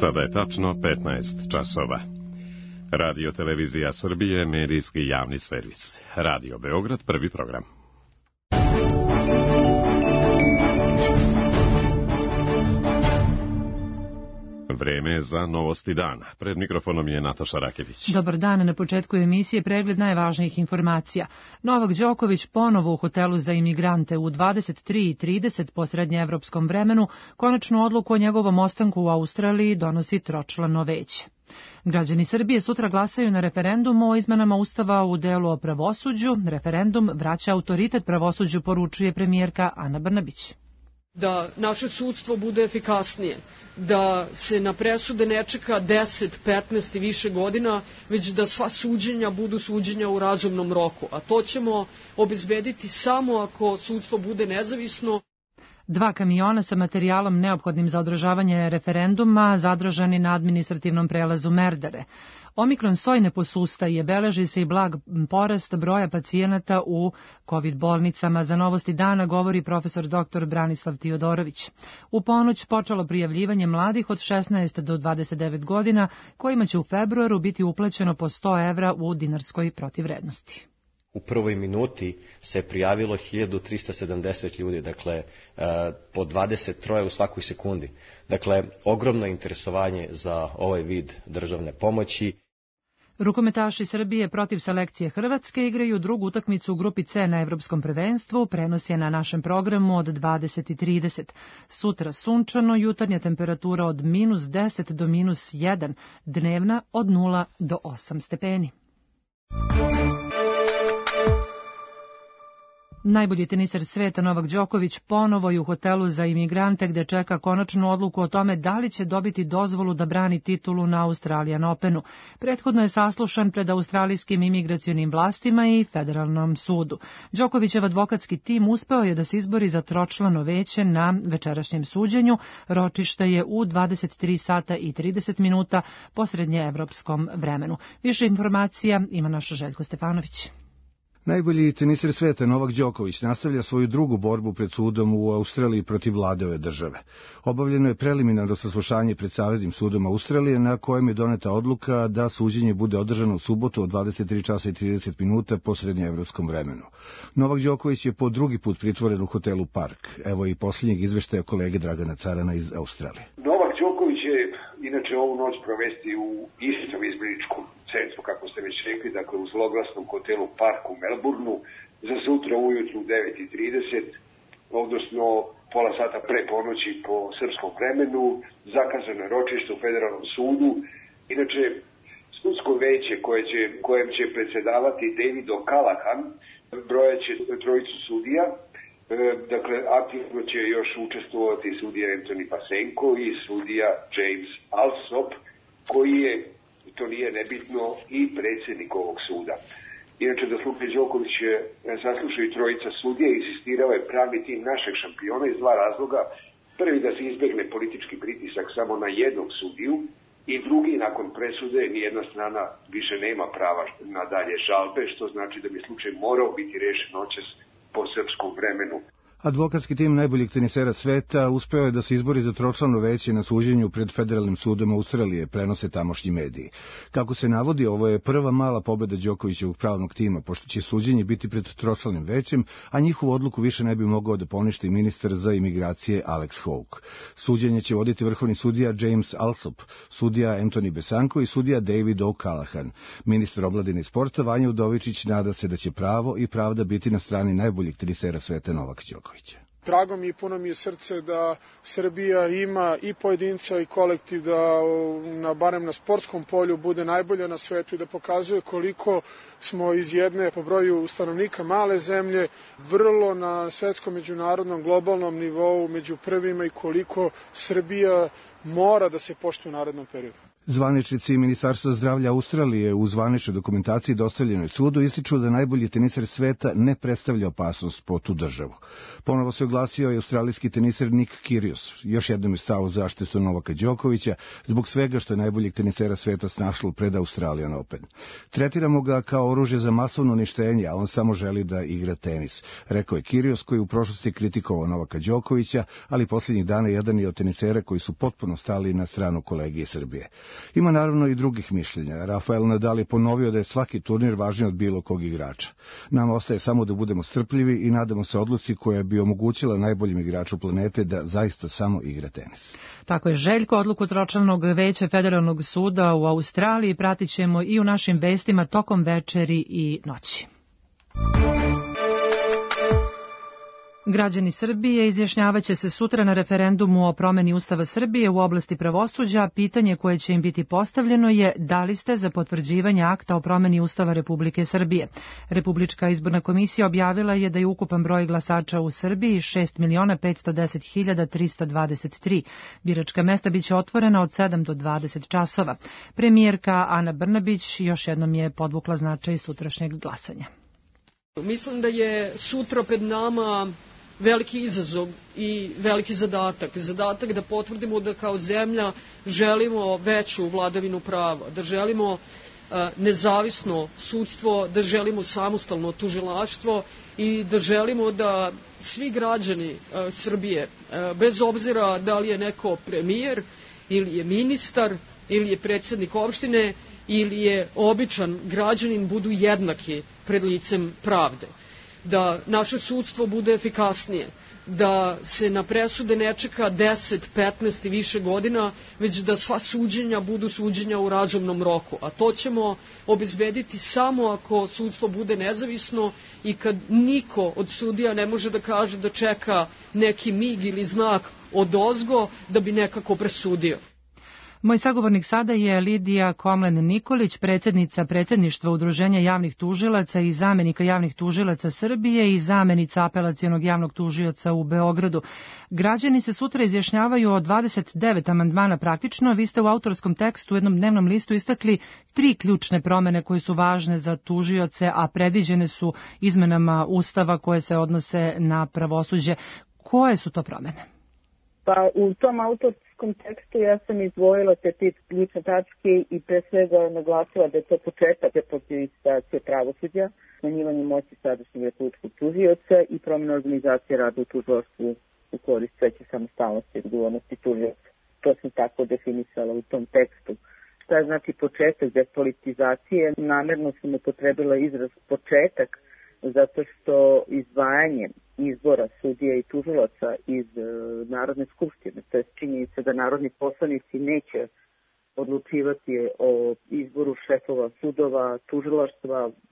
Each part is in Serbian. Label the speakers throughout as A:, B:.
A: Sada je tačno 15 časova. Radio Televizija Srbije, medijski javni servis. Radio Beograd, prvi program. Vreme za novosti dana. Pred mikrofonom je Nataša Rakević.
B: Dobar dan, na početku emisije pregled najvažnijih informacija. Novak Đoković ponovo u hotelu za imigrante u 23:30 po srednjeevropskom vremenu. Konačnu odluku o njegovom ostanku u Australiji donosi tročlano veće. Građani Srbije sutra glasaju na referendumu o izmenama Ustava u delu o pravosuđu. Referendum vraća autoritet pravosuđu, poručuje premijerka Ana Brnabić.
C: Da naše sudstvo bude efikasnije, da se na presude ne čeka 10, 15 i više godina, već da sva suđenja budu suđenja u razumnom roku. A to ćemo obezbediti samo ako sudstvo bude nezavisno.
B: 2 kamiona sa materijalom neophodnim za održavanje referenduma zadržani na administrativnom prelazu Merdare. Omikron soj ne posustaje, beleži se i blag porast broja pacijenata u COVID bolnicama. Za novosti dana govori profesor dr. Branislav Tiodorović. U ponoć počelo prijavljivanje mladih od 16 do 29 godina, kojima će u februaru biti uplaćeno po 100 evra u dinarskoj protivvrednosti.
D: U prvoj minuti se prijavilo 1370 ljudi, dakle po 23 u svakoj sekundi. Dakle, ogromno interesovanje za ovaj vid državne pomoći.
B: Rukometaši Srbije protiv selekcije Hrvatske igraju drugu utakmicu u grupi C na Evropskom prvenstvu. Prenos je na našem programu od 20:30. Sutra sunčano, jutarnja temperatura od -10 do -1, dnevna od 0 do 8 stepeni. Najbolji teniser sveta Novak Đoković ponovo je u hotelu za imigrante gde čeka konačnu odluku o tome da li će dobiti dozvolu da brani titulu na Australian Openu. Prethodno je saslušan pred australijskim imigracionim vlastima i federalnom sudu. Đokovićev advokatski tim uspeo je da se izbori za tročlano veće na večerašnjem suđenju. Ročište je u 23:30 po srednjeevropskom vremenu. Više informacija ima naša Željko Stefanović.
E: Najbolji teniser sveta Novak Đoković nastavlja svoju drugu borbu pred sudom u Australiji protiv vlade ove države. Obavljeno je preliminarno saslušanje pred Saveznim sudom Australije na kojem je doneta odluka da suđenje bude održano u subotu od 23:30 po srednjeevropskom vremenu. Novak Đoković je po drugi put pritvoren u hotelu Park. Evo i posljednjeg izveštaja kolege Dragana Carana iz Australije.
F: Novak Đoković je inače ovu noć provesti u istom izbjegličkom centru, kako ste već rekli, dakle u zloglasnom hotelu Park u Melbourneu, za sutra ujutru u 9:30, odnosno pola sata pre ponoći po srpskom vremenu, zakazano je ročište u federalnom sudu. Inače, sudsko veće kojem će predsedavati David O'Callaghan brojaće trojicu sudija. Dakle, aktivno će još učestvovati sudija Anthony Pasenko i sudija James Alsop, koji je, to nije nebitno, i predsjednik ovog suda. Inače, da slučaj Đoković saslušaju trojica sudija i insistirao je pravni tim našeg šampiona iz 2 razloga. Prvi, da se izbegne politički pritisak samo na jednog sudiju, i drugi, nakon presude nijedna strana više nema prava na dalje žalbe, što znači da bi slučaj morao biti rešen noćas po srpskom vremenu.
E: Advokatski tim najboljeg tenisera sveta uspeo je da se izbori za tročlano veće na suđenju pred Federalnim sudom Australije, prenose tamošnji mediji. Kako se navodi, ovo je prva mala pobeda Đokovićevog pravnog tima, pošto će suđenje biti pred tročlanim većem, a njihovu odluku više ne bi mogao da poništi ministar za imigracije Alex Hawke. Suđenje će voditi vrhovni sudija James Alsop, sudija Anthony Besanko i sudija David O'Callaghan. Ministar omladine i sporta Vanja Udovičić nada se da će pravo i pravda biti na strani najboljeg tenisera sveta Novaka Đokovića.
G: Drago mi i puno mi je srce da Srbija ima i pojedinca i kolektiv da barem na sportskom polju bude najbolja na svetu i da pokazuje koliko smo iz jedne po broju stanovnika male zemlje vrlo na svetskom, međunarodnom, globalnom nivou među prvima i koliko Srbija mora da se poštuje u narednom periodu.
E: Zvaničnici Ministarstva zdravlja Australije u zvaničnoj dokumentaciji dostavljenoj sudu ističu da najbolji teniser sveta ne predstavlja opasnost po tu državu. Ponovo se oglasio i australijski teniser Nick Kyrgios. Još jednom je stao u zaštitu Novaka Đokovića zbog svega što je najboljeg tenisera sveta snašlo pred Australian Open. Tretiramo ga kao oružje za masovno uništenje, a on samo želi da igra tenis, rekao je Kyrgios, koji u prošlosti kritikovao Novaka Đokovića, ali posljednjih dana jedan je od tenisera koji su potpuno stali na stranu kolegije Srbije. Ima naravno i drugih mišljenja. Rafael Nadal je ponovio da je svaki turnir važniji od bilo kog igrača. Nama ostaje samo da budemo strpljivi i nadamo se odluci koja bi omogućila najboljem igraču planete da zaista samo igra tenis.
B: Tako je Željko, odluku Tročlanog veća Federalnog suda u Australiji pratit ćemo i u našim vestima tokom večeri i noći. Građani Srbije izjašnjavaće se sutra na referendumu o promeni Ustava Srbije u oblasti pravosuđa. Pitanje koje će im biti postavljeno je da li ste za potvrđivanje akta o promeni Ustava Republike Srbije. Republička izborna komisija objavila je da je ukupan broj glasača u Srbiji 6.510.323. Biračka mesta biće otvorena od 7 do 20 časova. Premijerka Ana Brnabić još jednom je podvukla značaj sutrašnjeg glasanja.
C: Mislim da je sutra pred nama veliki izazov i veliki zadatak. Zadatak da potvrdimo da kao zemlja želimo veću vladavinu prava, da želimo nezavisno sudstvo, da želimo samostalno tužilaštvo i da želimo da svi građani Srbije, bez obzira da li je neko premijer ili je ministar ili je predsjednik opštine ili je običan građanin, budu jednaki pred licem pravde. Da naše sudstvo bude efikasnije, da se na presude ne čeka 10, 15 i više godina, već da sva suđenja budu suđenja u razumnom roku. A to ćemo obezbediti samo ako sudstvo bude nezavisno i kad niko od sudija ne može da kaže da čeka neki mig ili znak odozgo da bi nekako presudio.
B: Moj sagovornik sada je Lidija Komlen-Nikolić, predsjednica predsjedništva Udruženja javnih tužilaca i zamenika javnih tužilaca Srbije i zamenica apelacionog javnog tužioca u Beogradu. Građani se sutra izjašnjavaju o 29 amandmana praktično. Vi ste u autorskom tekstu u jednom dnevnom listu istakli 3 ključne promene koje su važne za tužioce, a predviđene su izmenama Ustava koje se odnose na pravosuđe. Koje su to promene?
H: Pa u tom autorskom tekstu ja sam izdvojila te 5 ključne tačke i pre svega naglasila da je to početak depolitizacije pravosuđa, smanjivanje moći sadašnjeg republičkog tužioca i promjena organizacije rada u tužilaštvu u korist veće samostalnosti i odgovornosti tužioca. To sam tako definisala u tom tekstu. Šta znači početak depolitizacije? Namerno sam upotrebila izraz početak zato što izdvajanje izbora sudija i tužilaca iz Narodne skupštine, to je činjenica da narodni poslanici neće odlučivati o izboru šefova sudova,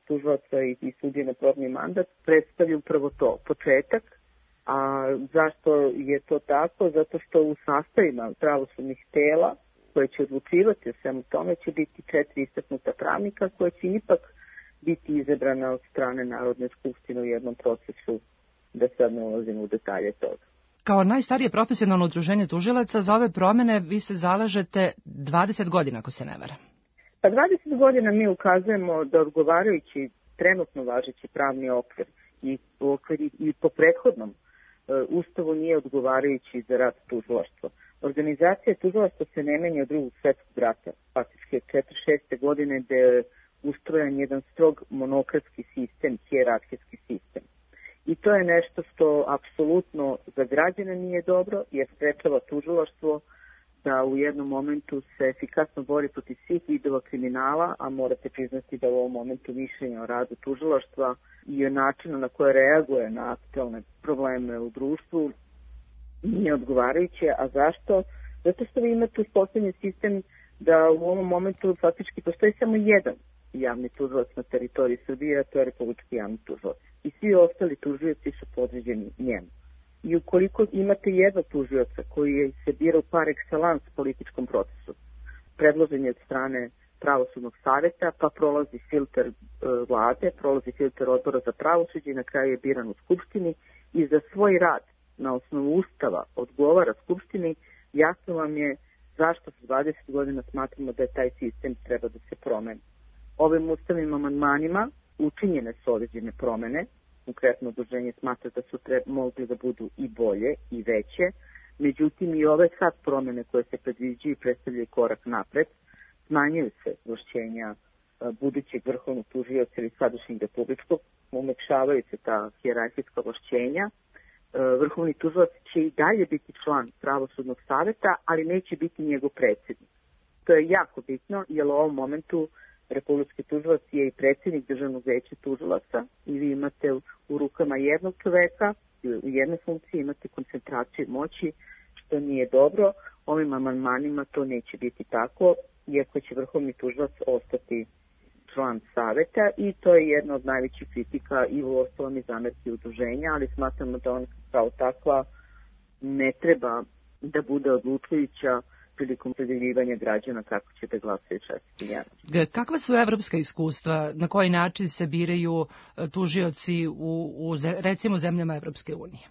H: tužilaca i sudije na probni mandat, predstavlja upravo to, početak. A zašto je to tako? Zato što u sastavima pravosudnih tela koje će odlučivati o svemu tome će biti 4 istaknuta pravnika koje će ipak biti izabrana od strane Narodne skupštine u jednom procesu, da sad ne ulazimo u detalje toga.
B: Kao najstarije profesionalno udruženje tužilaca za ove promene vi se zalažete 20 godina, ako se ne varam.
H: Pa 20 godina mi ukazujemo da odgovarajući trenutno važeći pravni okvir i po prethodnom Ustavu nije odgovarajući za rad tužilaštva. Organizacija tužilaštva se ne menja od Drugog svjetskog rata, faktički 46. godine gde je ustrojen jedan strog monokratski sistem, hijerarhijski sistem. I to je nešto što apsolutno za građane nije dobro, jer sprečava tužilaštvo da u jednom momentu se efikasno bori protiv svih vidova kriminala, a morate priznati da u ovom momentu mišljenja o radu tužilaštva i o načinu na koje reaguje na aktualne probleme u društvu nije odgovarajuće. A zašto? Zato što vi imate uspostavljen sistem da u ovom momentu faktički postoji samo jedan javni tužilac na teritoriji Srbije, a to je Republički javni tužilac. I svi ostali tužioci su podređeni njemu. I ukoliko imate jednog tužioca koji se bira u par excellence političkom procesu, predložen je od strane pravosudnog savjeta, pa prolazi filter vlade, prolazi filter odbora za pravosuđe i na kraju je biran u Skupštini i za svoj rad na osnovu Ustava odgovara Skupštini, jasno vam je zašto za 20 godina smatramo da je taj sistem treba da se promeni. Ovim ustavnim amandmanima učinjene su određene promene, konkretno udruženje smatra da su mogli da budu i bolje i veće, međutim i ove sad promene koje se predviđaju i predstavljaju korak napred, smanjuju se ovlašćenja budućeg vrhovnog tužioca ili sadašnjeg republičkog, umekšavaju se ta hijerarhijska ovlašćenja. Vrhovni tužilac će i dalje biti član pravosudnog saveta, ali neće biti njegov predsjednik. To je jako bitno, jer u ovom momentu republički tužilac je i predsjednik Državnog veća tužilaca i vi imate u rukama jednog čoveka, u jednoj funkciji imate koncentraciju moći, što nije dobro. Ovim amandmanima to neće biti tako, iako će vrhovni tužilac ostati član saveta i to je jedna od najvećih kritika i u ostalom i zamerki udruženja, ali smatramo da on kao takva ne treba da bude odlučujuća prilikom predeljivanja građana kako će da glasaju časti javnosti.
B: Kakva su evropska iskustva? Na koji način se biraju tužioci u recimo zemljama Evropske unije?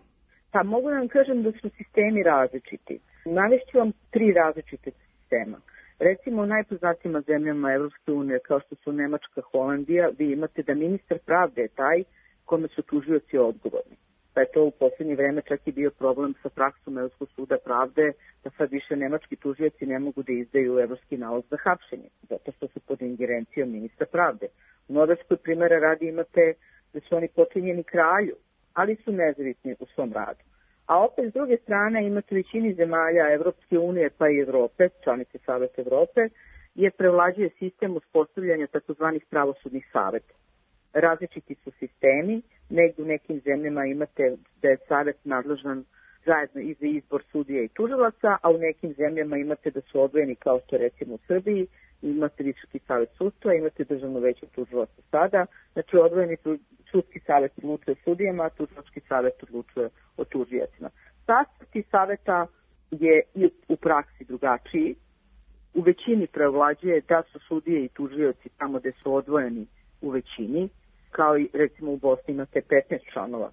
H: Pa mogu da vam kažem da su sistemi različiti. Navešću vam 3 različite sistema. Recimo u najpoznatijima zemljama Evropske unije kao što su Nemačka, Holandija, vi imate da ministar pravde je taj kome su tužioci odgovorni. Pa je to u posljednje vreme čak i bio problem sa praksom Evropskog suda pravde, da sad više nemački tužioci ne mogu da izdaju evropski nalog za hapšenje, zato što su pod ingerencijom ministra pravde. U Norveškoj primjera radi imate da su oni počinjeni kralju, ali su nezavisni u svom radu. A opet s druge strane imate u većini zemalja Evropske unije pa i Evrope, članice Saveta Evrope, je prevlađuje sistem uspostavljanja takozvanih pravosudnih saveta. Različiti su sistemi, negdje u nekim zemljama imate da je savet nadležan zajedno i za izbor sudija i tužilaca, a u nekim zemljama imate da su odvojeni kao što recimo u Srbiji, imate Visoki savet sudstva, imate Državno veće tužilaca sada, znači odvojeni sudski savet odlučuje sudijama, a tužilački savet odlučuje o tužiocima. Sastav tih saveta je i u praksi drugačiji. U većini prevlađuje da su sudije i tužioci tamo gde su odvojeni u većini, kao i recimo u Bosni imate 15 članova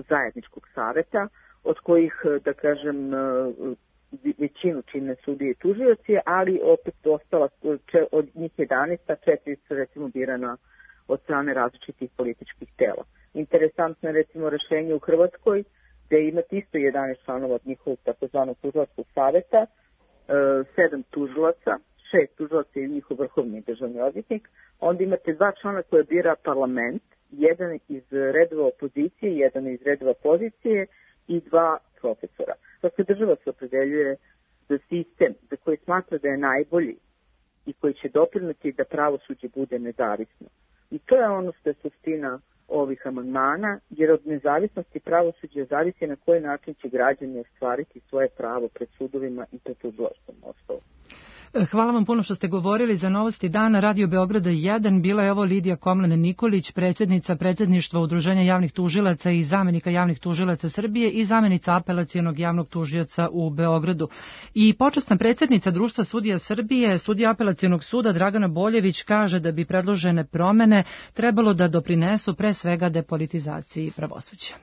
H: zajedničkog saveta, od kojih, da kažem, većinu čine sudije i tužioci, ali opet ostala od njih 11, a 4 su recimo birana od strane različitih političkih tela. Interesantno je recimo rešenje u Hrvatskoj, gde imate isto 11 članova od njihovog takozvanog tužilačkog saveta, 7 tužilaca, 6 tužilaca i njihov vrhovni državni odvjetnik, onda imate 2 člana koje bira parlament, jedan iz redova opozicije, jedan iz redova pozicije i 2 profesora. Dakle, država se opredeljuje za sistem za koji smatra da je najbolji i koji će doprineti da pravosuđe bude nezavisno. I to je ono što je suština ovih amandmana, jer od nezavisnosti pravosuđa zavisi na koji način će građani ostvariti svoje pravo pred sudovima i pred tužilaštvom ostalo.
B: Hvala vam puno što ste govorili za Novosti dana Radio Beograda 1. Bila je ovo Lidija Komlen-Nikolić, predsjednica predsjedništva Udruženja javnih tužilaca i zamenika javnih tužilaca Srbije i zamenica apelacionog javnog tužioca u Beogradu. I počasna predsjednica Društva sudija Srbije, sudija apelacionog suda Dragana Boljević kaže da bi predložene promene trebalo da doprinesu pre svega depolitizaciji pravosuđa.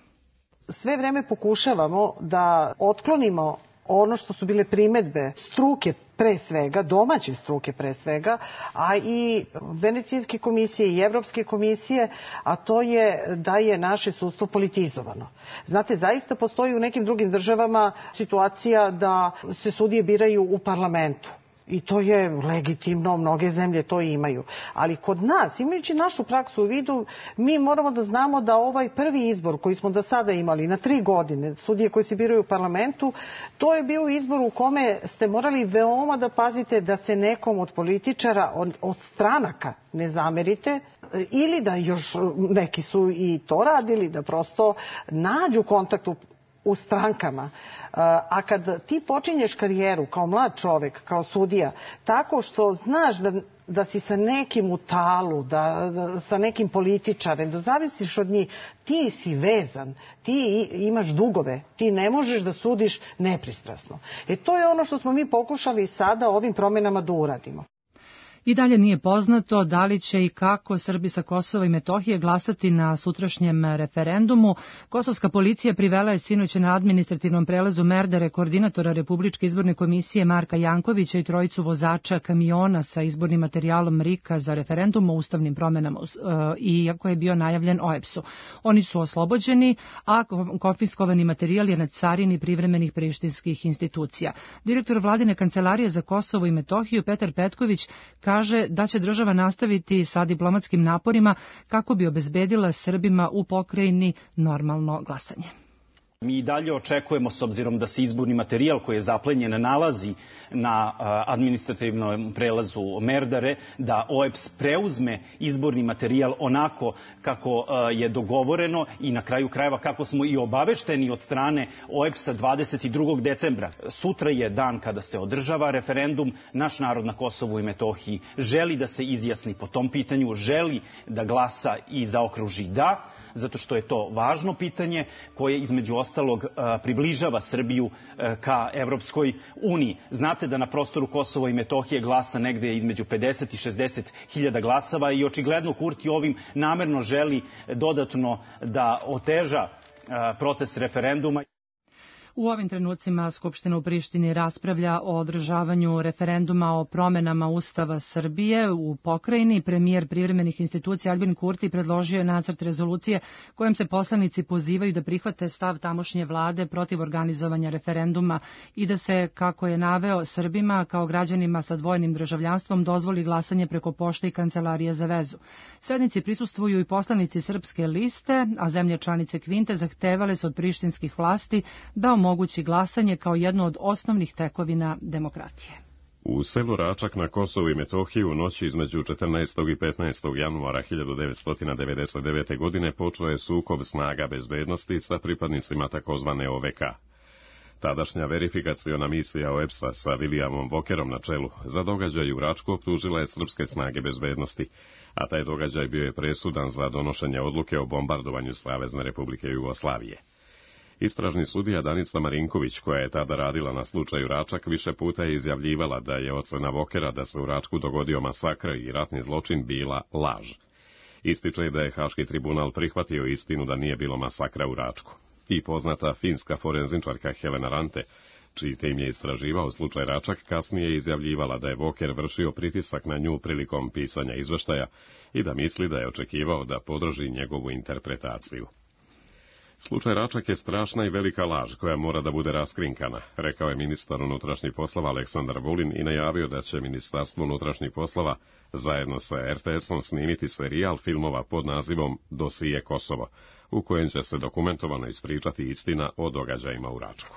I: Sve vreme pokušavamo da otklonimo ono što su bile primedbe struke pre svega, domaće struke pre svega, a i Venecijanske komisije i Evropske komisije, a to je da je naše sudstvo politizovano. Znate, zaista postoji u nekim drugim državama situacija da se sudije biraju u parlamentu. I to je legitimno, mnoge zemlje to imaju. Ali kod nas, imajući našu praksu u vidu, mi moramo da znamo da ovaj prvi izbor koji smo do sada imali na 3 godine, sudije koji se biraju u parlamentu, to je bio izbor u kome ste morali veoma da pazite da se nekom od političara, od stranaka ne zamerite, ili da još neki su i to radili, da prosto nađu kontakt u strankama. A kad ti počinješ karijeru kao mlad čovek, kao sudija, tako što znaš da si sa nekim u talu, da sa nekim političarem, da zavisiš od njih, ti si vezan, ti imaš dugove, ti ne možeš da sudiš nepristrasno. To je ono što smo mi pokušali sada ovim promenama da uradimo.
B: I dalje nije poznato da li će i kako Srbi sa Kosova i Metohije glasati na sutrašnjem referendumu. Kosovska policija privela je sinoć na administrativnom prelazu Merdare koordinatora Republičke izborne komisije Marka Jankovića i trojicu vozača kamiona sa izbornim materijalom RIK-a za referendum o ustavnim promenama, iako je bio najavljen OEBS-u. Oni su oslobođeni, a konfiskovani materijal je na carini privremenih prištinskih institucija. Direktor Vladine kancelarije za Kosovo i Metohiju Petar Petković kaže da će država nastaviti sa diplomatskim naporima kako bi obezbedila Srbima u pokrajini normalno glasanje.
J: Mi i dalje očekujemo, s obzirom da se izborni materijal koji je zaplenjen nalazi na administrativnom prelazu Merdare, da OEBS preuzme izborni materijal onako kako je dogovoreno i na kraju krajeva kako smo i obavešteni od strane OEBS-a 22. decembra. Sutra je dan kada se održava referendum. Naš narod na Kosovu i Metohiji želi da se izjasni po tom pitanju, želi da glasa i zaokruži da, zato što je to važno pitanje koje između ostalog približava Srbiju ka Evropskoj uniji. Znate da na prostoru Kosova i Metohije glasa negde između 50 i 60 hiljada glasava i očigledno Kurti ovim namerno želi dodatno da oteža proces referenduma.
B: U ovim trenucima Skupština u Prištini raspravlja o održavanju referenduma o promenama Ustava Srbije u pokrajini. Premijer privremenih institucija Albin Kurti predložio je nacrt rezolucije kojom se poslanici pozivaju da prihvate stav tamošnje vlade protiv organizovanja referenduma i da se, kako je naveo, Srbima kao građanima sa dvojnim državljanstvom dozvoli glasanje preko pošte i kancelarije za vezu. Sednici prisustvuju i poslanici Srpske liste, a zemlje članice Kvinte zahtevale su od prištinskih vlasti da omogući glasanje kao jedno od osnovnih tekovina demokratije.
A: U selu Račak na Kosovu i Metohiji u noći između 14. i 15. januara 1999. godine počeo je sukob snaga bezbednosti sa pripadnicima takozvane OVK. Tadašnja verifikaciona misija OEBS-a sa Williamom Walkerom na čelu za događaj u Račku optužila je srpske snage bezbednosti, a taj događaj bio je presudan za donošenje odluke o bombardovanju Savezne Republike Jugoslavije. Istražni sudija Danica Marinković, koja je tada radila na slučaju Račak, više puta je izjavljivala da je ocena Walkera da se u Račku dogodio masakr i ratni zločin bila laž. Ističe da je Haški tribunal prihvatio istinu da nije bilo masakra u Račku. I poznata finska forenzičarka Helena Rante, čiji tim je istraživao slučaj Račak, kasnije je izjavljivala da je Walker vršio pritisak na nju prilikom pisanja izveštaja i da misli da je očekivao da podrži njegovu interpretaciju. Slučaj Račak je strašna i velika laž koja mora da bude raskrinkana, rekao je ministar unutrašnjih poslova Aleksandar Vulin i najavio da će Ministarstvo unutrašnjih poslova zajedno sa RTS-om snimiti serijal filmova pod nazivom Dosije Kosovo, u kojem će se dokumentovano ispričati istina o događajima u Račku.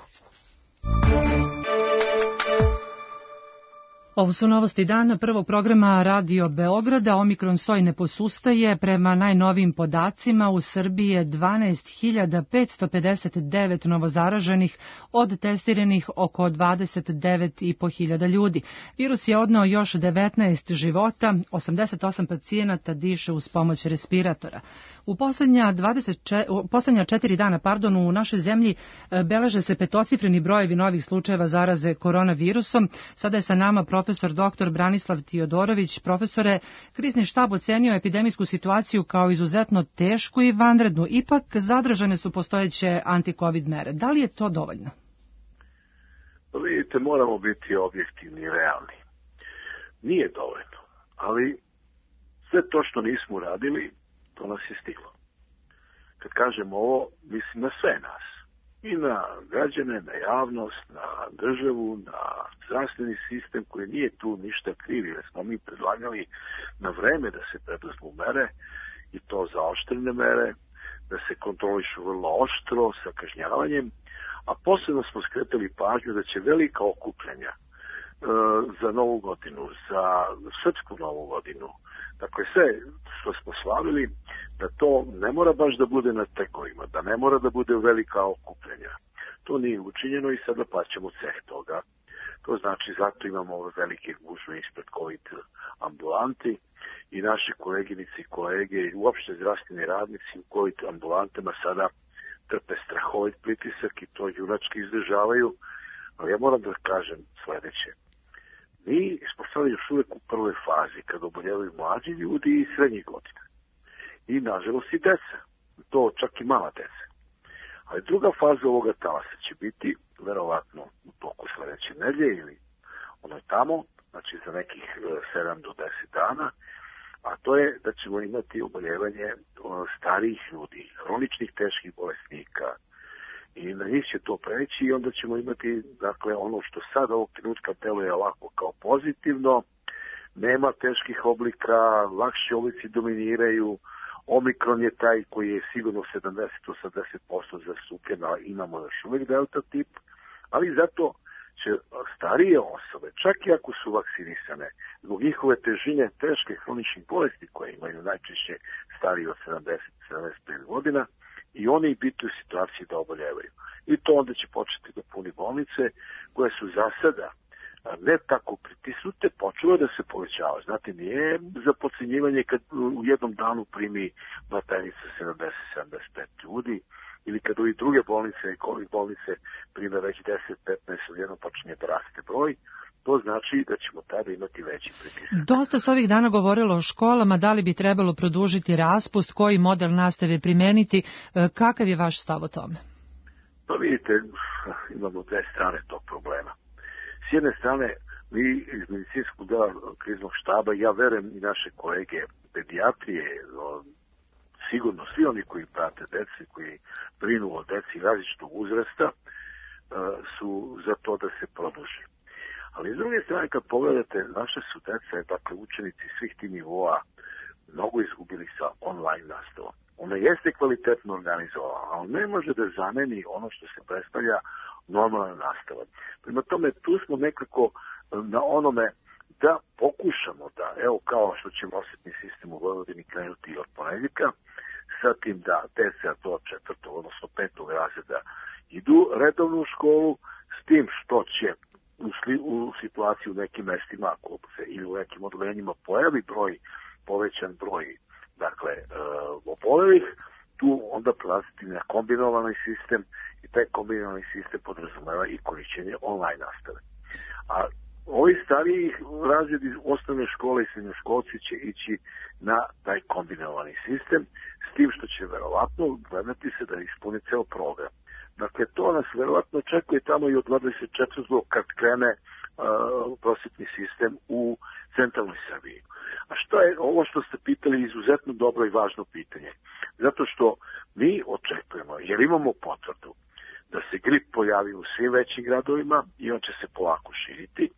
B: Ovo su novosti dana prvog programa Radio Beograda. Omikron soj ne posustaje. Prema najnovijim podacima u Srbiji je 12.559 novozaraženih od testiranih oko 29.500 ljudi. Virus je odneo još 19 života, 88 pacijenata diše uz pomoć respiratora. U poslednja 4 dana u našoj zemlji beleže se petocifreni brojevi novih slučajeva zaraze koronavirusom. Sada je sa nama profesor dr. Branislav Tiodorović. Profesore, krizni štab ocenio epidemijsku situaciju kao izuzetno tešku i vanrednu. Ipak zadržane su postojeće anti-covid mere. Da li je to dovoljno?
K: Vidite, moramo biti objektivni i realni. Nije dovoljno, ali sve to što nismo uradili, to nas je stiglo. Kad kažem ovo, mislim na sve nas. I na građane, na javnost, na državu, na zdravstveni sistem koji nije tu ništa kriv, jer smo mi predlagali na vreme da se preduzmu mere i to zaoštrene mere, da se kontrolišu vrlo oštro sa kažnjavanjem, a posebno smo skretali pažnju da će velika okupljanja za Novu godinu, za Srpsku Novu godinu, dakle sve što smo slavili, da to ne mora baš da bude na tekovima, da ne mora da bude velika okupljanja. To nije učinjeno i sada plaćamo ceh toga. To znači zato imamo ove velike gužve ispred COVID ambulanti i naše koleginice i kolege i uopšte zdravstveni radnici u COVID ambulantama sada trpe strahovit pritisak i to junački izdržavaju. Ali ja moram da kažem sledeće. mi smo sad još uvek u prvoj fazi, kada oboljevaju mlađi ljudi i srednjih godina. I, nažalost, i deca. To čak i mala deca. Ali druga faza ovoga talasa će biti, verovatno, u toku sledeće nedelje ili ono tamo, znači za nekih 7 do 10 dana, a to je da ćemo imati oboljevanje starijih ljudi, hroničnih teških bolesnika, i na njih će to preći i onda ćemo imati, dakle, ono što sad ovog trenutka deluje ovako kao pozitivno, nema teških oblika, lakši oblici dominiraju, Omikron je taj koji je sigurno 70-80% zastupljen, a imamo još uvijek delta tip, ali zato će starije osobe, čak i ako su vakcinisane, zbog njihove težine teške hroničnih bolesti koje imaju najčešće stariji od 70-75 godina, i oni biti u situaciji da oboljevaju. I to onda će početi da puni bolnice koje su za sada ne tako pritisnute, počelo da se povećava. Znate, nije za podcenjivanje kad u jednom danu primi batajnica 70-75 ljudi, ili kad u druge bolnice i COVID bolnice prime već 10-15, odjednom počinje da raste broj, to znači da ćemo tada imati veći pritisak.
B: Dosta se ovih dana govorilo o školama, da li bi trebalo produžiti raspust, koji model nastave primeniti, kakav je vaš stav o tome?
K: Pa vidite, imamo dve strane tog problema. S jedne strane, mi iz medicinskog dela kriznog štaba, ja verujem i naše kolege pedijatrije, sigurno svi oni koji prate dece, koji brinu o deci različitog uzrasta, su za to da se produži. Ali s druge strane, kad pogledate, naše su dece, dakle učenici svih tih nivoa, mnogo izgubili sa online nastavom. Ona jeste kvalitetno organizovana, ali ne može da zameni ono što se predstavlja normalna nastava. Prema tome, tu smo nekako na onome da pokušamo da, evo kao što će prosvetni sistem u Vojvodini krenuti od ponedjeljka, sa tim da deca do 4. odnosno 5. razreda idu redovno u školu, s tim što će u situaciji u nekim mestima ako se ili u nekim odeljenjima pojavi povećan broj, dakle, obolelih, tu onda prelaziti na kombinovani sistem i taj kombinovani sistem podrazumeva i korišćenje online nastave. A ovi stariji razredi osnovne škole i srednjoškolci će ići na taj kombinovani sistem, s tim što će verovatno gledati se da ispuni ceo program. Dakle, to nas verovatno očekuje tamo i od 24. kad krene prosvetni sistem u centralnoj Srbiji. A što je ovo što ste pitali izuzetno dobro i važno pitanje? Zato što mi očekujemo, jer imamo potvrdu da se grip pojavi u svim većim gradovima i on će se polako širiti.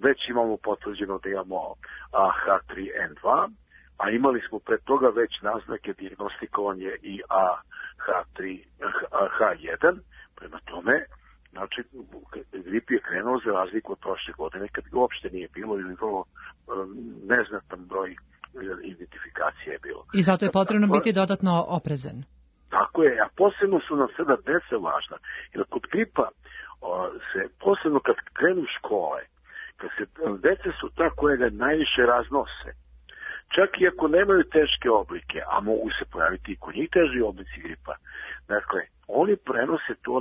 K: Već imamo potvrđeno da imamo H3N2, a imali smo pre toga već naznake dijagnostikovanje i H1. Prema tome, znači, grip je krenuo za razliku od prošle godine, kad ga uopšte nije bilo ili vrlo neznatan broj identifikacije je bilo.
B: I zato je potrebno biti dodatno oprezan.
K: Tako je, a posebno su nam sada deca važna. Jer kod gripa, posebno kad krenu škole, kad se deca su ta koja ga najviše raznose, čak i ako nemaju teške oblike, a mogu se pojaviti i kod njih teži oblici gripa, dakle, oni prenose to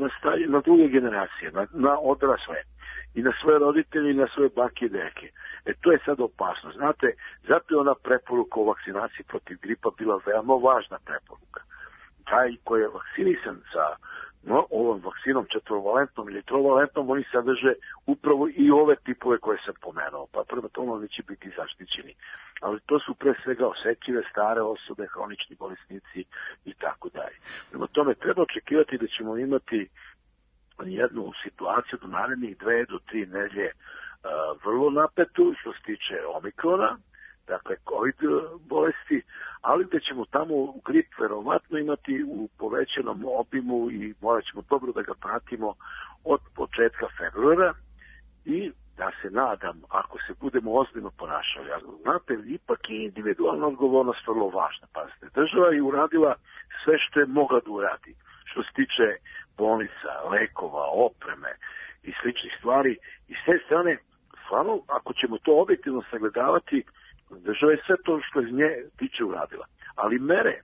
K: na druge generacije, na odrasle i na svoje roditelje i na svoje bake i deke. To je sad opasno. Znate, zato je ona preporuka o vakcinaciji protiv gripa bila veoma važna preporuka. Taj koji je vakcinisan sa ovom vakcinom 4-valentnom ili 3-valentnom, oni sadrže upravo i ove tipove koje sam pomenuo, pa prema tomu oni će biti zaštićeni. Ali to su pre svega osetljive, stare osobe, hronični bolesnici i tako dalje. Prema tome treba očekivati da ćemo imati jednu situaciju do narednih 2 do 3 nedelje vrlo napetu što se tiče Omikrona, dakle COVID bolesti, ali da ćemo tamo grip verovatno imati u povećanom obimu i morat ćemo dobro da ga pratimo od početka februara i da se nadam, ako se budemo ozbiljno ponašali, znate, ipak je individualna odgovornost vrlo važna. Pazite, država je uradila sve što je mogla da uradi, što se tiče bolnica, lekova, opreme i sličnih stvari. I s te strane, stvarno, ako ćemo to objektivno sagledavati, država je sve to što iz nje tiče uradila. Ali mere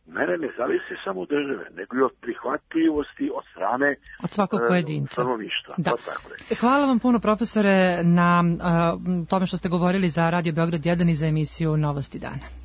K: mene ne zavisi samo od države, nego i od prihvatljivosti od strane
B: od svakog pojedinca.
K: Stanovništva.
B: Da.
K: Tako
B: Hvala vam puno, profesore, na tome što ste govorili za Radio Beograd 1 i za emisiju Novosti dana.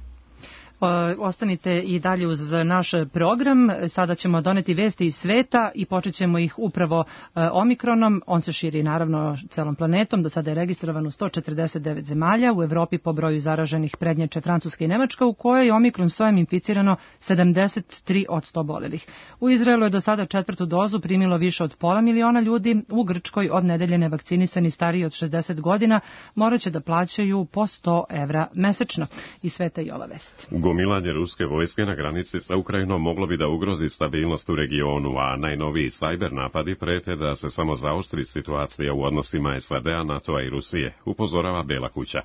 B: Ostanite i dalje uz naš program. Sada ćemo doneti vesti iz sveta i počet ćemo ih upravo omikronom. On se širi naravno celom planetom. Do sada je registrovan u 149 zemalja. U Evropi po broju zaraženih prednjače Francuska i Nemačka, u kojoj je omikron sojem inficirano 73 od 100 obolelih. U Izraelu je do sada 4. dozu primilo više od 500 miliona ljudi. U Grčkoj od nedelje nevakcinisani stariji od 60 godina morat će da plaćaju po 100 evra mesečno. Iz sveta i ova vest.
A: Gomilanje ruske vojske na granici sa Ukrajinom moglo bi da ugrozi stabilnost u regionu, a najnoviji sajber napadi prete da se samo zaoštri situacija u odnosima SAD-a, NATO-a i Rusije, upozorava Bela kuća.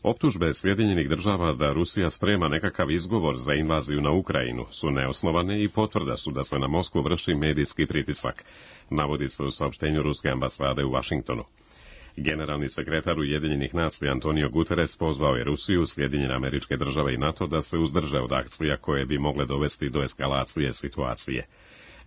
A: Optužbe Sjedinjenih država da Rusija sprema nekakav izgovor za invaziju na Ukrajinu su neosnovane i potvrda su da se na Moskvu vrši medijski pritisak, navodi se u saopštenju ruske ambasade u Vašingtonu. Generalni sekretar Ujedinjenih nacija Antonio Guterres pozvao je Rusiju, Sjedinjene Američke Države i NATO da se uzdrže od akcija koje bi mogle dovesti do eskalacije situacije.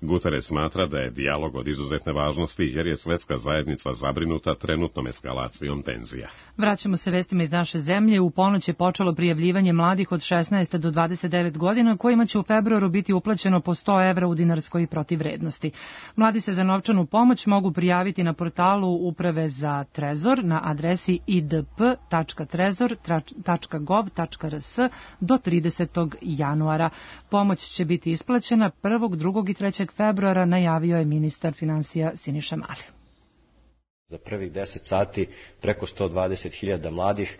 A: Guterres smatra da je dijalog od izuzetne važnosti jer je svetska zajednica zabrinuta trenutnom eskalacijom tenzija.
B: Vraćamo se vestima iz naše zemlje. U ponoć je počelo prijavljivanje mladih od 16 do 29 godina kojima će u februaru biti uplaćeno po 100 evra u dinarskoj protivvrednosti. Mladi se za novčanu pomoć mogu prijaviti na portalu Uprave za Trezor na adresi idp.trezor.gov.rs do 30. januara. Pomoć će biti isplaćena 1., 2. i 3. februara, najavio je ministar finansija Siniša Mali.
D: Za prvih 10 sati preko 120.000 mladih.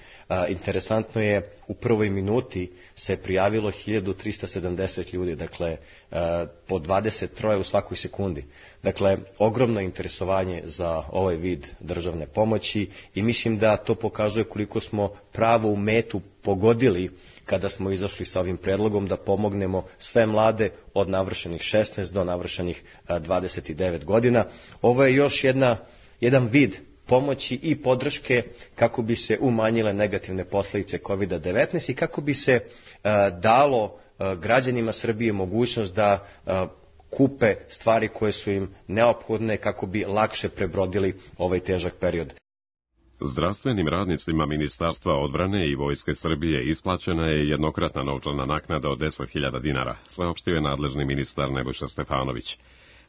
D: Interesantno je, u prvoj minuti se prijavilo 1370 ljudi, dakle po 23 u svakoj sekundi. Dakle, ogromno interesovanje za ovaj vid državne pomoći i mislim da to pokazuje koliko smo pravo u metu pogodili kada smo izašli sa ovim predlogom da pomognemo sve mlade od navršenih 16 do navršenih 29 godina. Ovo je još jedan vid pomoći i podrške kako bi se umanjile negativne posljedice COVID-19 i kako bi se dalo građanima Srbije mogućnost da kupe stvari koje su im neophodne kako bi lakše prebrodili ovaj težak period.
A: Zdravstvenim radnicima Ministarstva odbrane i Vojske Srbije isplaćena je jednokratna novčana naknada od 10.000 dinara, saopštio je nadležni ministar Nebojša Stefanović.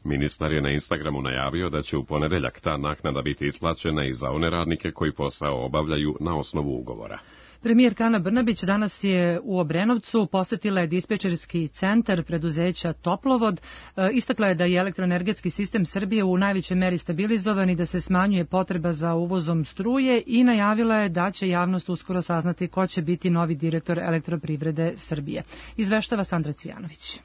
A: Ministar je na Instagramu najavio da će u ponedeljak ta naknada biti isplaćena i za one radnike koji posao obavljaju na osnovu ugovora.
B: Premijerka Ana Brnabić danas je u Obrenovcu, posetila je dispečerski centar preduzeća Toplovod, istakla je da je elektroenergetski sistem Srbije u najvećoj meri stabilizovan i da se smanjuje potreba za uvozom struje i najavila je da će javnost uskoro saznati ko će biti novi direktor Elektroprivrede Srbije. Izveštava Sandra Cvijanović.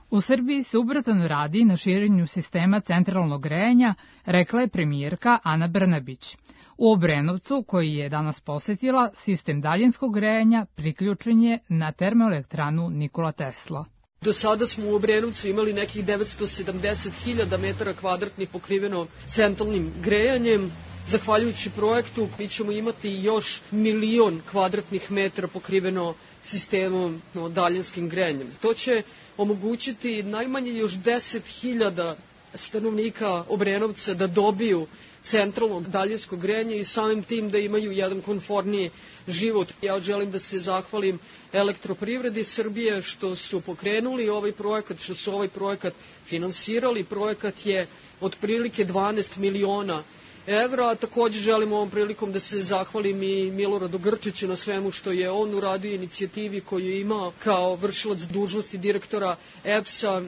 L: U Srbiji se ubrzano radi na širenju sistema centralnog grejanja, rekla je premijerka Ana Brnabić. U Obrenovcu, koji je danas posetila, sistem daljinskog grejanja priključen je na termoelektranu Nikola Tesla.
C: Do sada smo u Obrenovcu imali nekih 970.000 metara kvadratnih pokriveno centralnim grejanjem. Zahvaljujući projektu mi ćemo imati još 1.000.000 kvadratnih metara pokriveno sistemom daljinskim grejanjem. To će omogućiti najmanje još 10.000 stanovnika Obrenovca da dobiju centralno daljinsko grejanje i samim tim da imaju jedan komforniji život. Ja želim da se zahvalim Elektroprivredi Srbije što su pokrenuli ovaj projekat, što su ovaj projekat finansirali. Projekat je otprilike 12 miliona evra. Također želim ovom prilikom da se zahvalim i Miloradu Grčiću na svemu što je on uradio, inicijativi koju je imao kao vršilac dužnosti direktora EPS-a.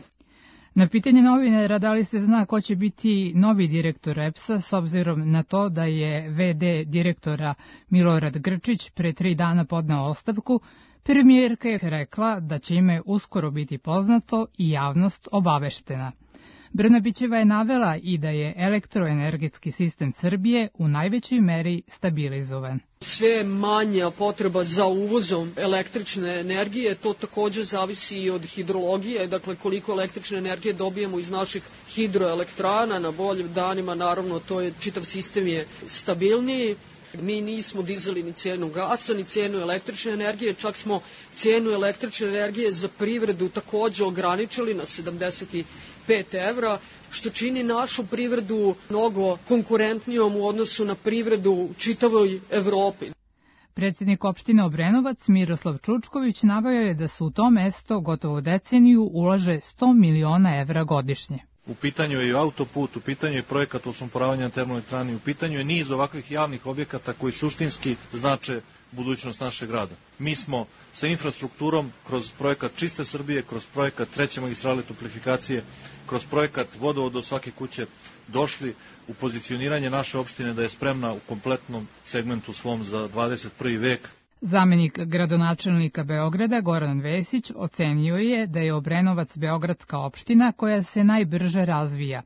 L: Na pitanje novinara da li se zna ko će biti novi direktor EPS-a, s obzirom na to da je VD direktora Milorad Grčić pre 3 dana podneo ostavku, premijerka je rekla da će ime uskoro biti poznato i javnost obaveštena. Brnabićeva je navela i da je elektroenergetski sistem Srbije u najvećoj meri stabilizovan.
C: Sve manja potreba za uvozom električne energije, to također zavisi i od hidrologije, dakle koliko električne energije dobijemo iz naših hidroelektrana, na boljim danima naravno to je, čitav sistem je stabilniji. Mi nismo dizali ni cijenu gasa, ni cijenu električne energije, čak smo cijenu električne energije za privredu takođe ograničili na 75 evra, što čini našu privredu mnogo konkurentnijom u odnosu na privredu u čitavoj Evropi.
L: Predsjednik opštine Obrenovac Miroslav Čučković naveo je da se u to mesto gotovo deceniju ulaže 100 miliona evra godišnje.
M: U pitanju je i autoput, u pitanju je projekat odsumporavanja na termoelektrani, u pitanju je niz ovakvih javnih objekata koji suštinski znače budućnost našeg grada. Mi smo sa infrastrukturom kroz projekat Čiste Srbije, kroz projekat treće magistrale toplifikacije, kroz projekat vodovod do svake kuće došli u pozicioniranje naše opštine da je spremna u kompletnom segmentu svom za 21. vek.
L: Zamenik gradonačelnika Beograda Goran Vesić ocenio je da je Obrenovac beogradska opština koja se najbrže razvija.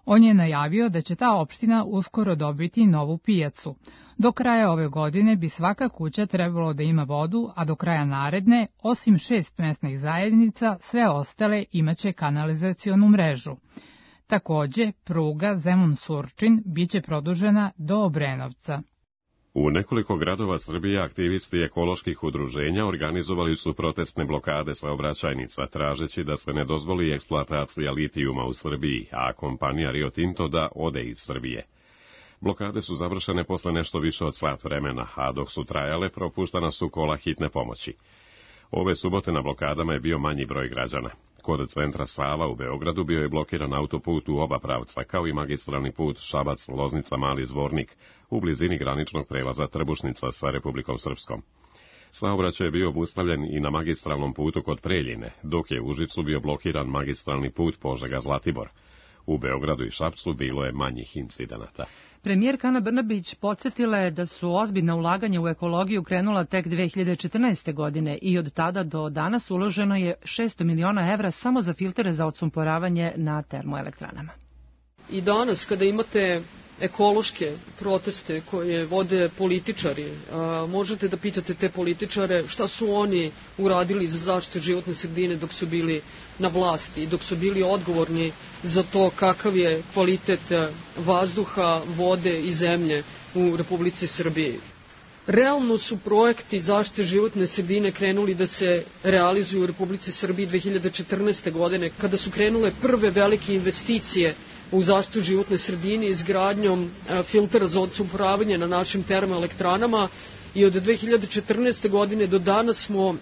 L: On je najavio da će ta opština uskoro dobiti novu pijacu. Do kraja ove godine bi svaka kuća trebalo da ima vodu, a do kraja naredne, osim 6 mesnih zajednica, sve ostale imaće kanalizacionu mrežu. Takođe, pruga Zemun-Surčin biće produžena do Obrenovca.
A: U nekoliko gradova Srbije aktivisti ekoloških udruženja organizovali su protestne blokade saobraćajnica, tražeći da se ne dozvoli eksploatacija litijuma u Srbiji, a kompanija Rio Tinto da ode iz Srbije. Blokade su završene posle nešto više od sat vremena, a dok su trajale, propuštana su kola hitne pomoći. Ove subote na blokadama je bio manji broj građana. Kod centra Sava u Beogradu bio je blokiran autoput u oba pravca, kao i magistralni put Šabac-Loznica-Mali Zvornik, u blizini graničnog prelaza Trbušnica sa Republikom Srpskom. Saobraćaj je bio obustavljen i na magistralnom putu kod Preljine, dok je u Užicu bio blokiran magistralni put Požega-Zlatibor. U Beogradu i Šapcu bilo je manjih incidenata.
B: Premijerka Ana Brnabić podsjetila je da su ozbiljna ulaganja u ekologiju krenula tek 2014. godine i od tada do danas uloženo je 600 miliona evra samo za filtere za odsumporavanje na termoelektranama.
C: I danas kada imate ekološke proteste koje vode političari, možete da pitate te političare šta su oni uradili za zaštitu životne sredine dok su bili na vlasti i dok su bili odgovorni za to kakav je kvalitet vazduha, vode i zemlje u Republici Srbiji. Realno su projekti zaštite životne sredine krenuli da se realizuju u Republici Srbiji 2014. godine, kada su krenule prve velike investicije u zaštitu životne sredine izgradnjom filtera za odsumporavanje na našim termoelektranama i od 2014. godine do danas smo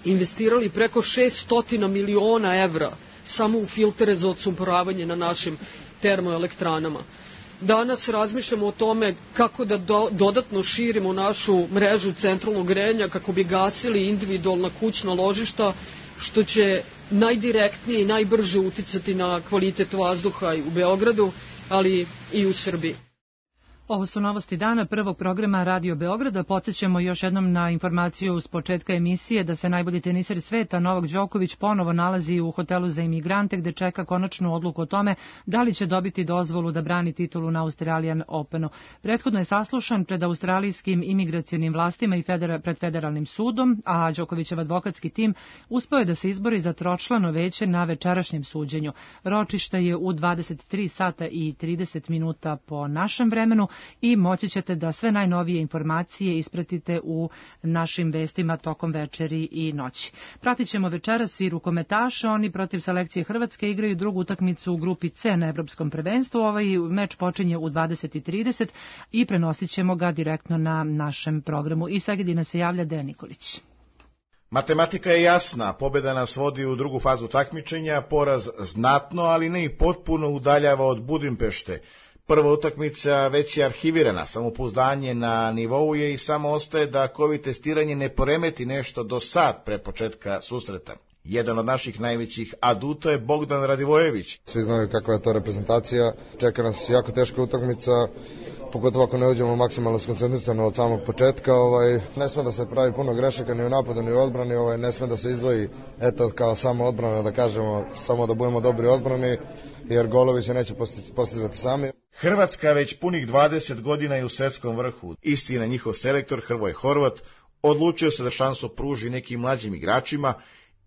C: investirali preko 600 miliona evra samo u filtere za odsumporavanje na našim termoelektranama. Danas razmišljamo o tome kako da dodatno širimo našu mrežu centralnog grejanja kako bi gasili individualna kućna ložišta, što će najdirektnije i najbrže uticati na kvalitet vazduha i u Beogradu, ali i u Srbiji.
B: Ovo su novosti dana prvog programa Radio Beograda. Podsećamo još jednom na informaciju s početka emisije da se najbolji teniser sveta Novak Đoković ponovo nalazi u hotelu za imigrante gde čeka konačnu odluku o tome da li će dobiti dozvolu da brani titulu na Australian Openu. Prethodno je saslušan pred australijskim imigracionim vlastima i pred federalnim sudom, a Đokovićev advokatski tim uspeo je da se izbori za tročlano veće na večerašnjem suđenju. Ročište je u 23 sata i 30 minuta po našem vremenu i moći ćete da sve najnovije informacije ispratite u našim vestima tokom večeri i noći. Pratit ćemo večeras i rukometaše, oni protiv selekcije Hrvatske igraju drugu utakmicu u grupi C na Evropskom prvenstvu. Ovaj meč počinje u 20:30 i prenosit ćemo ga direktno na našem programu. Iz Segedina se javlja Dejan Nikolić.
N: Matematika je jasna, pobjeda nas vodi u drugu fazu takmičenja, poraz znatno, ali ne i potpuno udaljava od Budimpešte. Prva utakmica već je arhivirana, samopouzdanje na nivou je i samo ostaje da COVID testiranje ne poremeti nešto do sat pre početka susreta. Jedan od naših najvećih aduta je Bogdan Radivojević.
O: Svi znaju kakva je to reprezentacija, čeka nas jako teška utakmica, pogotovo ako ne uđemo maksimalno skoncentrisano od samog početka. Ne sme da se pravi puno grešaka ni u napadu ni u odbrani, ne sme da se izdvoji kao samo odbrana, da kažemo samo da budemo dobri u odbrani, jer golovi se neće postizati sami.
N: Hrvatska već punih 20 godina je u svetskom vrhu. Istina, njihov selektor Hrvoje Horvat odlučio se da šansu pruži nekim mlađim igračima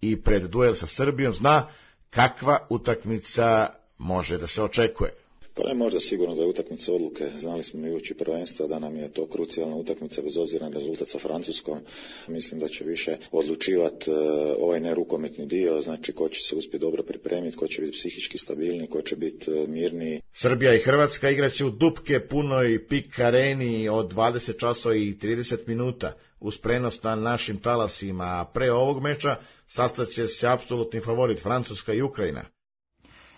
N: i pred duel sa Srbijom zna kakva utakmica može da se očekuje.
P: Pa ne možda sigurno da je utakmica odluke. Znali smo i ući prvenstva da nam je to krucijalna utakmica bez obzira na rezultat sa Francuskom. Mislim da će više odlučivati ovaj nerukometni dio, znači ko će se uspjeti dobro pripremiti, ko će biti psihički stabilni, ko će biti mirniji.
N: Srbija i Hrvatska igraće u Dupke punoj PIK areni od 20 časova i 30 minuta uz prenos na našim talasima, a pre ovog meča sastaće se apsolutni favorit Francuska i Ukrajina.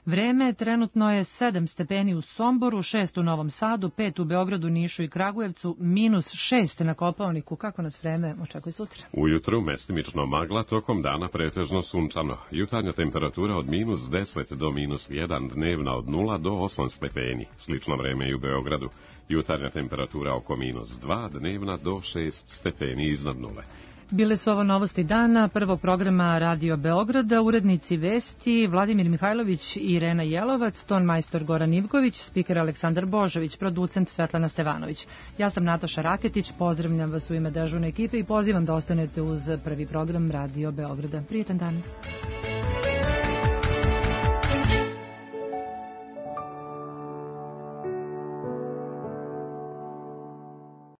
B: Vreme trenutno je 7 stepeni u Somboru, 6 u Novom Sadu, 5 u Beogradu, Nišu i Kragujevcu, -6 na Kopaoniku. Kako nas vreme očekuje sutra?
A: Ujutru mestimično magla, tokom dana pretežno sunčano. Jutarnja temperatura od -10 do -1, dnevna od 0 do 8 stepeni. Slično vreme i u Beogradu. Jutarnja temperatura oko -2, dnevna do 6 stepeni iznad nule.
B: Bile su ovo novosti dana prvog programa Radio Beograda, urednici vesti Vladimir Mihajlović i Irena Jelovac, tonmajstor Goran Ivković, spiker Aleksandar Božović, producent Svetlana Stevanović. Ja sam Nataša Raketić, pozdravljam vas u ime dežurne ekipe i pozivam da ostanete uz prvi program Radio Beograda. Prijetan dan.